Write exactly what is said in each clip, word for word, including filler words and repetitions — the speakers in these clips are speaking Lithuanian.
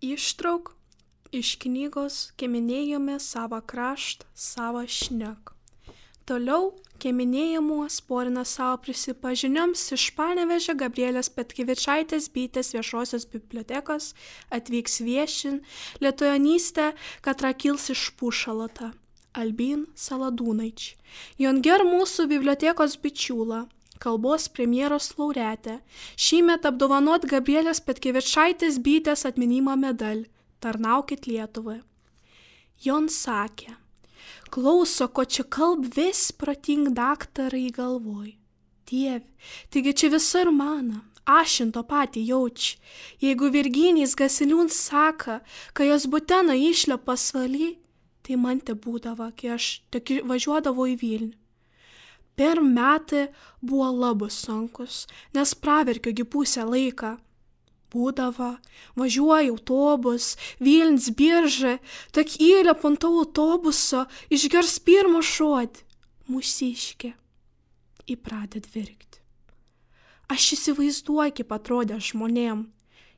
Ištrauk iš knygos Keminėjome savo kraštą, savo šnek. Toliau keminėjimų sporina savo prisipažinims iš Panevėžio Gabrielės Petkevičaitės Bitės viešosios bibliotekos atvyks viešin lietuvianystę, katra kils iš Pušalota, Albin Saladūnaič. Jonger mūsų bibliotekos bičiūla, kalbos premjeros laureatė, šįmet apdovanot Gabrielės Petkevičaitės Bitės atminimo medalį. Tarnaukit Lietuvai. Jon sakė, klauso, ko čia kalb vis proting daktarai galvoj. Dieve, taigi čia visur mana, ašinto patį jauči. Jeigu Virginijs Gasiliūns saka, kai jos butena išlio pasvaly, tai man te būdavo, kai aš tik važiuodavau į Vilnių. Per metai buvo labai sunkus, nes praverkiogi pusę laiką. Būdavo, važiuoja autobus, Vilnius birža, tak įlep ant to autobuso, išgers pirmą žodį, mūsiškė, į pradėt virkti. Aš įsivaizduoju, kaip atrodė žmonėm,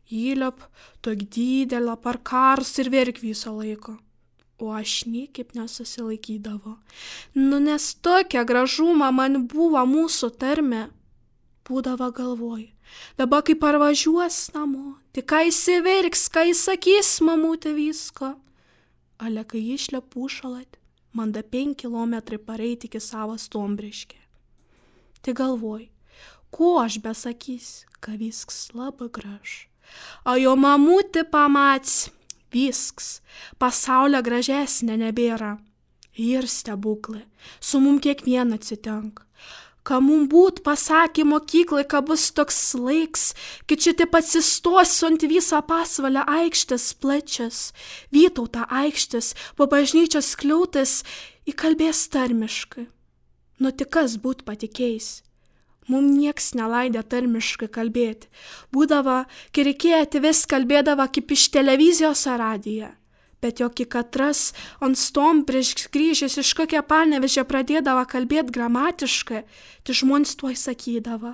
įlep, tok didelę parkars ir verk viso laiko, o aš niekaip nesusilaikydavo. Nu, nes tokia gražuma man buvo mūsų tarme, būdavo galvoj. Dabar kai parvažiuos namo, tik ką įsiverks, ką įsakys mamutė visko. Ale kai išlė Pušalat, man da penki kilometrai pareiti iki savo Stombriškė. Tai galvoj, ko aš besakys, ką visks labai graž. O jo mamutė pamats, visks, pasaulio gražesnė nebėra. Ir stebuklai, su mum kiekvieną atsitenka. Ką mum būt pasakė mokyklai, ką bus toks laiks, kai čia taip atsistosiu ant visą pasvalę aikštės plačias, Vytauto aikštės, po bažnyčios skliautas, įkalbės tarmiškai. Nu tik kas būt patikėjęs? Mum nieks nelaidė tarmiškai kalbėti. Būdavo, kai reikėjo vis kalbėdavo kaip iš televizijos ar radiją. Bet joki katras ant stom prieš grįžęs iš kokią Panevėžę pradėdavo kalbėti gramatiškai, tai žmonės tuoj sakydavo,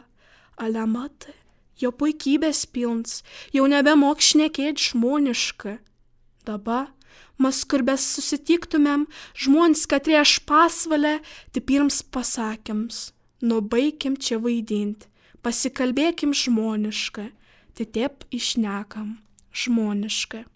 ale matai, jo puikybės pilns, jau nebemok šnekėt žmoniškai. Dabar, mes kur bes susitiktumėm, žmonės katrie aš pasvalę, tai pirms pasakyms, nu baikim čia vaidinti, pasikalbėkim žmoniškai, tai taip išnekam žmoniškai.